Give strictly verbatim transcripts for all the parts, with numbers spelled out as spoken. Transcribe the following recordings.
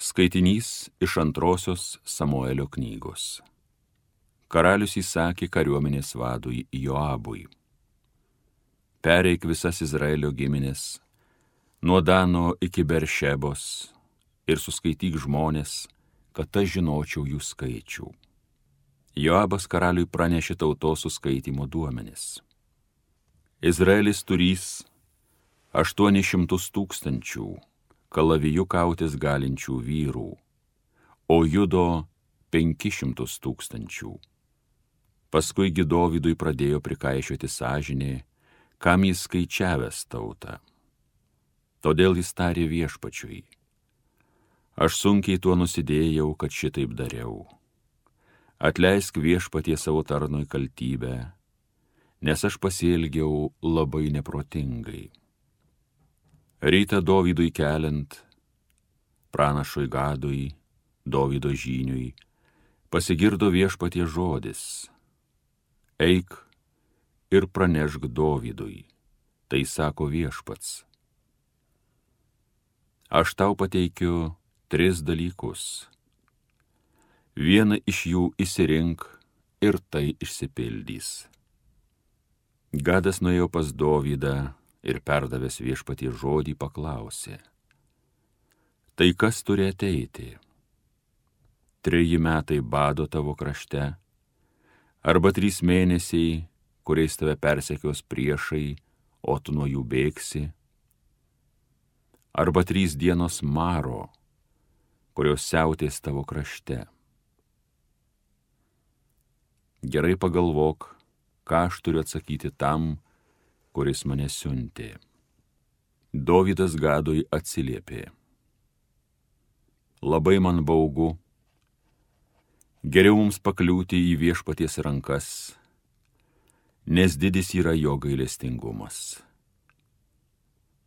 Skaitinys iš antrosios Samuelio knygos. Karalius įsakė kariuomenės vadui Joabui: pereik visas Izraelio giminės, nuo Dano iki Beršebos, ir suskaityk žmonės, kad aš žinočiau jų skaičių. Joabas karaliui pranešė tautos suskaitymo duomenis. Izraelis turys aštuonis šimtus tūkstančių kalaviju kautis galinčių vyrų, o Judo penkis šimtus tūkstančių. Paskui gi Dovydui pradėjo prikaišioti sąžinė, kam jis skaičiavęs tautą. Todėl jis tarė Viešpačiui: aš sunkiai tuo nusidėjau, kad šitaip dariau. Atleisk Viešpatie savo tarnui kaltybę, nes aš pasielgiau labai neprotingai. Rytą Dovydui keliant, pranašui Gadui, Dovydo žyniui, pasigirdo Viešpatie žodis: eik ir pranešk Dovydui, tai sako Viešpats. Aš tau pateikiu tris dalykus. Vieną iš jų išsirink ir tai išsipildys. Gadas nuėjo pas Dovydą ir perdavęs Viešpatie žodį paklausė: tai kas turi ateiti? Treji metai bado tavo krašte, arba trys mėnesiai, kuriais tave persekios priešai, o tu nuo jų bėgsi? Arba trys dienos maro, kurios siautės tavo krašte? Gerai pagalvok, ką aš turiu atsakyti tam, kuris mane siuntė. Dovydas Gadui atsiliepė: labai man baugu, geriau mums pakliūti į Viešpaties rankas, nes didis yra jo gailestingumas.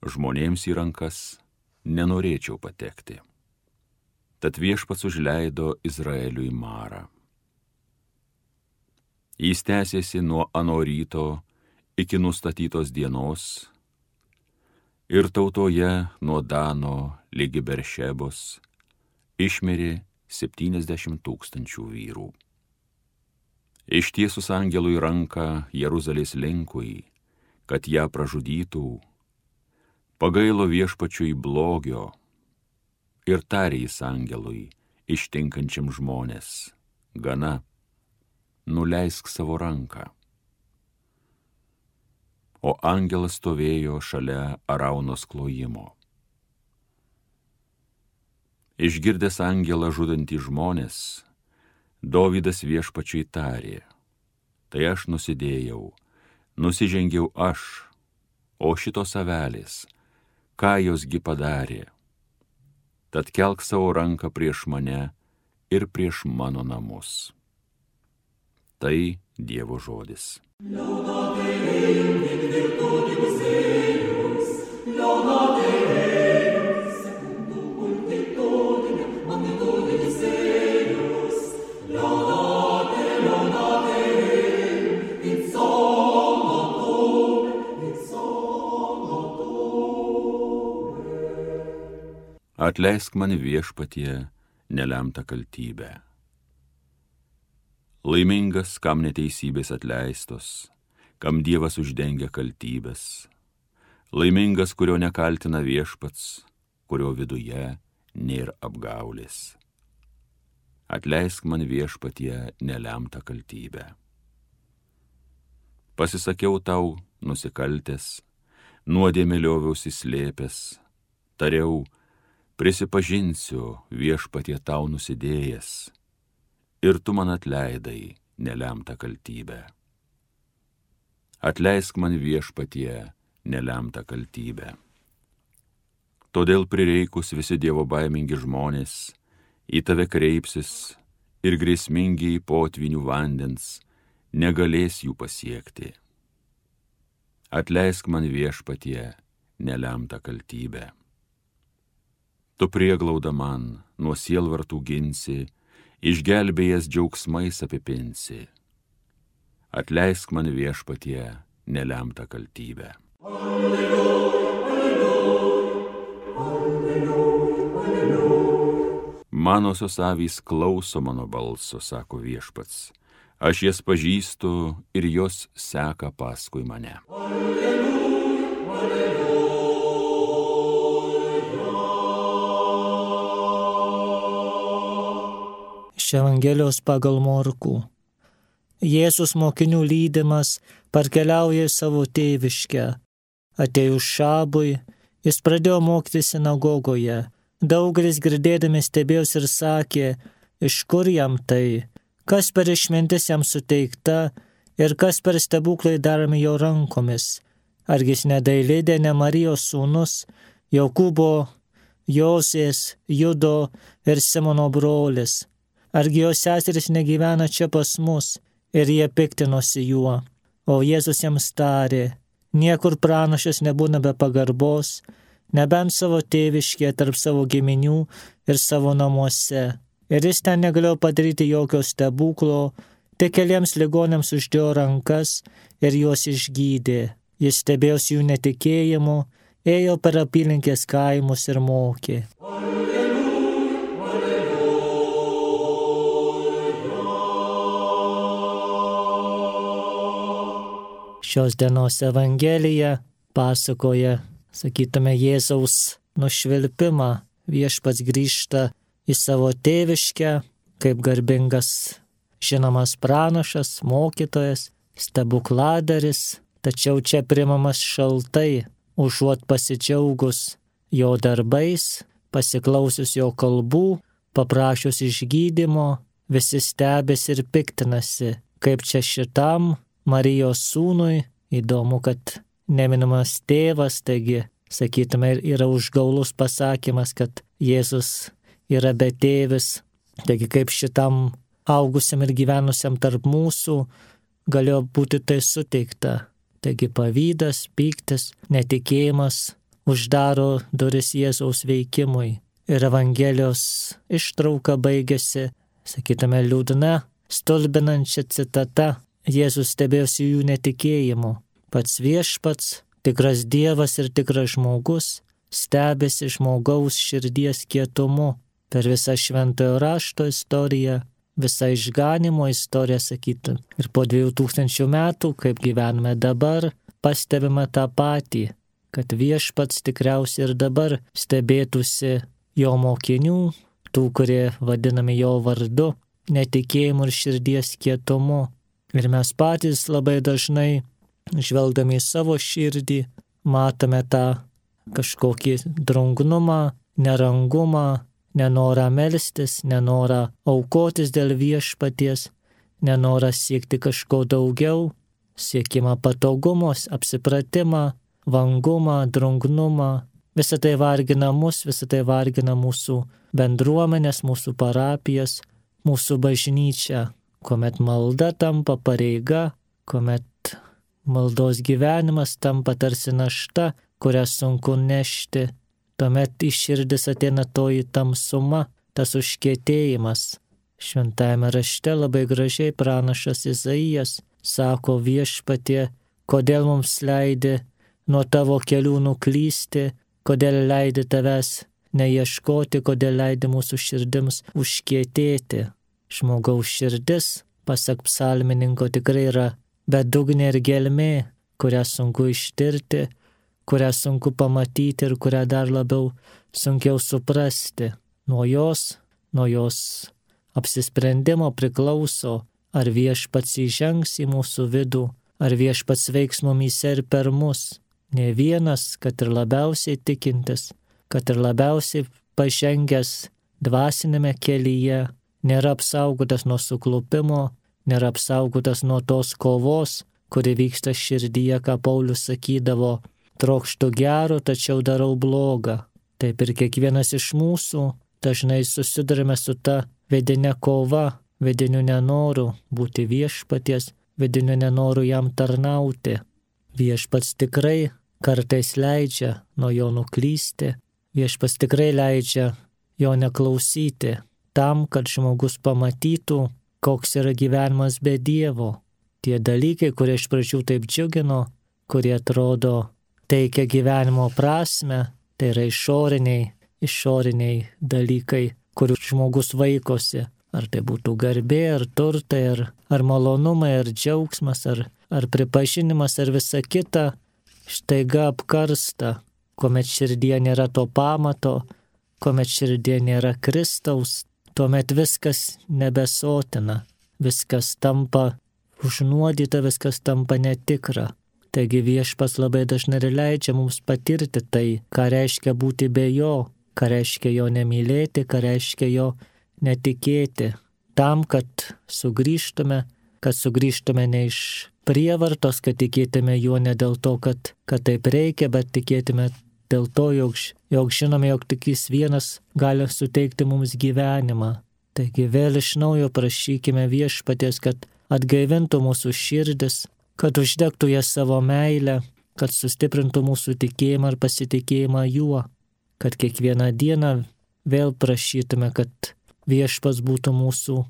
Žmonėms į rankas nenorėčiau patekti. Tad Viešpats užleido Izraeliui marą. Jis tęsėsi nuo ano ryto iki nustatytos dienos, ir tautoje nuo Dano ligi Beršebos išmirė septyniasdešimt tūkstančių vyrų. Ištiesus angelui ranką Jeruzalės linkui, kad ją pražudytų, pagailo Viešpačiui blogio ir tarė jis angelui, ištinkančiam žmonės: gana, nuleisk savo ranką. O angelas stovėjo šalia Araunos klojimo. Išgirdęs angelą žudantį žmonės, Dovydas Viešpačiui tarė: tai aš nusidėjau, nusižengiau aš, o šitos avelės, ką josgi padarė? Tad kelk savo ranką prieš mane ir prieš mano namus. Tai Dievo žodis. Atleisk man, Viešpatie, nelemtą kaltybę. Laimingas, kam neteisybės atleistos, kam Dievas uždengia kaltybės. Laimingas, kurio nekaltina Viešpats, kurio viduje nėra apgaulės. Atleisk man, Viešpatie, nelemtą kaltybę. Pasisakiau tau nusikaltęs, nuodėmę lioviausi slėpęs, tariau: prisipažinsiu, Viešpatie, tau nusidėjęs, ir tu man atleidai nelemtą kaltybę. Atleisk man, Viešpatie, nelemtą kaltybę. Todėl prireikus visi Dievo baimingi žmonės į tave kreipsis, ir grėsmingi potvinių vandens negalės jų pasiekti. Atleisk man, Viešpatie, nelemtą kaltybę. Tu prieglauda man nuo sielvartų ginsi, išgelbėjęs džiaugsmais apipinsi. Atleisk man, Viešpatie, nelemtą kaltybę. Alleluja, alleluja, alleluja, alleluja. manosios avys klauso mano balso, sako Viešpats. Aš jas pažįstu ir jos seka paskui mane. Alleluja, alleluja. Iš Evangelijos pagal Morkų. Jėzus mokinių lydimas parkeliauja į savo tėviškę. Atėjus šabui, jis pradėjo mokyti sinagogoje. Daugelis girdėdami stebėjosi ir sakė, iš kur jam tai, kas per išmintis jam suteikta ir kas per stebuklai daromi jo rankomis. Argi jis ne Dailidė, ne Marijos sūnus, Jokūbo, Josės, Judo ir Simono brolis. Argi jo seserys negyvena čia pas mus ir jie piktinosi juo. O Jėzus jiems tarė, niekur pranašas nebūna be pagarbos, nebent savo tėviškėje tarp savo giminių ir savo namuose. Ir jis ten negalėjo padaryti jokio stebuklo, tik keliems ligonėms uždėjo rankas ir juos išgydė. Jis stebėjosi jų netikėjimu, ėjo per apylinkės kaimus ir mokė. Alleluja, alleluja. Šios dienos Evangelija pasakoja, sakytume, Jėzaus nušvilpimą. Viešpats grįžta į savo tėviškę kaip garbingas, žinomas pranašas, mokytojas, stebukladaris, tačiau čia priimamas šaltai, užuot pasidžiaugus jo darbais, pasiklausius jo kalbų, paprašius išgydymo, visi stebėsi ir piktinasi, kaip čia šitam Marijos sūnui, įdomu, kad neminamas tėvas, taigi, sakytume, yra užgaulus pasakymas, kad Jėzus yra betėvis, taigi kaip šitam augusiam ir gyvenusiam tarp mūsų galėjo būti tai suteikta. Taigi pavydas, pyktis, netikėjimas uždaro duris Jėzaus veikimui. Ir Evangelijos ištrauka baigėsi, sakytume, liūdna, stulbinančia citata. Jėzus stebėjosi jų netikėjimu. Pats Viešpats, tikras Dievas ir tikras žmogus, stebėsi žmogaus širdies kietumu. Per visą šventojo rašto istoriją, visą išganimo istoriją, sakytum. Ir po dviejų tūkstančių metų, kaip gyvename dabar, pastebime tą patį, kad Viešpats tikriausiai ir dabar stebėtųsi jo mokinių, tų, kurie vadinami jo vardu, netikėjimu ir širdies kietumu. Ir mes patys labai dažnai, žvelgdami į savo širdį, matome tą kažkokį drungnumą, nerangumą, nenorą melstis, nenorą aukotis dėl Viešpaties, nenorą siekti kažko daugiau, siekimą patogumos, apsipratimą, vangumą, drungnumą. Visą tai vargina mus, visą tai vargina mūsų bendruomenės, mūsų parapijas, mūsų bažnyčią, kuomet malda tampa pareiga, kuomet maldos gyvenimas tampa tarsi našta, kurią sunku nešti. Tuomet į širdis ateina toji tamsuma, tas užkietėjimas. Šventajame rašte labai gražiai pranašas Izaijas sako, Viešpatie, kodėl mums leidi nuo tavo kelių nuklysti, kodėl leidi tavęs neieškoti, kodėl leidi mūsų širdims užkietėti. Žmogaus širdis, pasak psalmininko, tikrai yra bedugnė ir gelmė, kurią sunku ištirti, kurią sunku pamatyti ir kurią dar labiau sunkiau suprasti. Nuo jos, nuo jos apsisprendimo priklauso, ar Viešpats įžengs į mūsų vidų, ar Viešpats veiks mumyse ir per mus. Ne vienas, kad ir labiausiai tikintis, kad ir labiausiai pažengęs dvasinėme kelyje, nėra apsaugotas nuo suklupimo, nėra apsaugotas nuo tos kovos, kuri vyksta širdyje, ką Paulius sakydavo, trokštu gero, tačiau darau blogą. Taip ir kiekvienas iš mūsų dažnai susidurime su ta vidinė kova, vidiniu nenoru būti Viešpaties, vidiniu nenoru jam tarnauti. Viešpats tikrai kartais leidžia nuo jo nuklysti, Viešpats tikrai leidžia jo neklausyti, tam, kad žmogus pamatytų, koks yra gyvenimas be Dievo. Tie dalykai, kurie iš pradžių taip džiugino, kurie atrodo teikia gyvenimo prasme, tai yra išoriniai, išoriniai dalykai, kurių žmogus vaikosi. Ar tai būtų garbė, ar turtai, ar, ar malonumai, ar džiaugsmas, ar, ar pripažinimas, ar visa kita, štaiga apkarsta, kuomet širdie nėra to pamato, kuomet širdie nėra Kristaus, tuomet viskas nebesotina, viskas tampa užnuodyta, viskas tampa netikra. Taigi Viešpats labai dažnai ir leidžia mums patirti tai, ką reiškia būti be jo, ką reiškia jo nemylėti, ką reiškia jo netikėti, tam, kad sugrįžtume, kad sugrįžtume ne iš prievartos, kad tikėtume juo ne dėl to, kad, kad taip reikia, bet tikėtume dėl to, jog, jog žinome, jog tik jis vienas gali suteikti mums gyvenimą. Taigi vėl iš naujo prašykime Viešpaties, kad atgaivintų mūsų širdis, kad uždegtų ją savo meilę, kad sustiprintų mūsų tikėjimą ir pasitikėjimą juo, kad kiekvieną dieną vėl prašytume, kad Viešpats būtų mūsų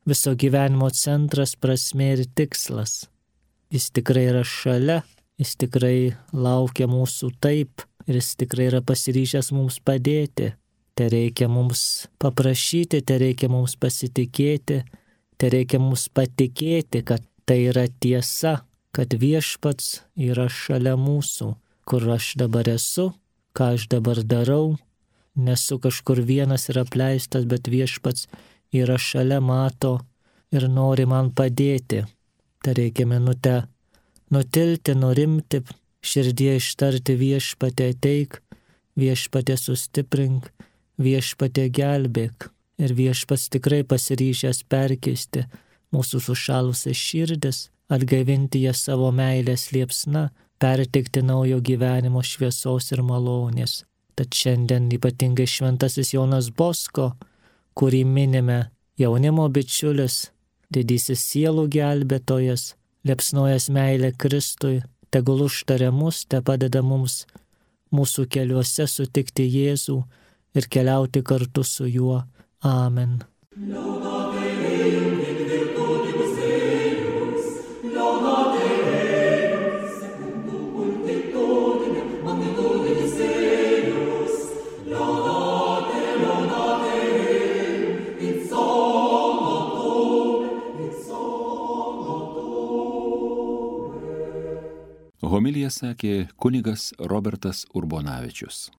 viso gyvenimo centras, prasmė ir tikslas. Jis tikrai yra šalia, jis tikrai laukia mūsų taip ir jis tikrai yra pasiryžęs mums padėti. Te reikia mums paprašyti, te reikia mums pasitikėti, te reikia mums patikėti, kad tai yra tiesa, kad Viešpats yra šalia mūsų, kur aš dabar esu, ką aš dabar darau. Nesu kažkur vienas ir apleistas, bet Viešpats yra šalia, mato ir nori man padėti. Tai reikia minutę nutilti, nurimti, širdie ištarti Viešpatie ateik, Viešpatie sustiprink, Viešpatie gelbėk. Ir Viešpats tikrai pasiryžęs perkeisti mūsų sušalusias širdis, atgaivinti jas savo meilės liepsna, perteikti naujo gyvenimo šviesos ir malonės. Tad šiandien ypatingai šventasis Jonas Bosko, kurį minime, jaunimo bičiulis, didysis sielų gelbėtojas, liepsnojas meilė Kristui, tegul užtaria mus, te padeda mums mūsų keliuose sutikti Jėzų ir keliauti kartu su juo. Amen. Homiliją sakė kunigas Robertas Urbonavičius.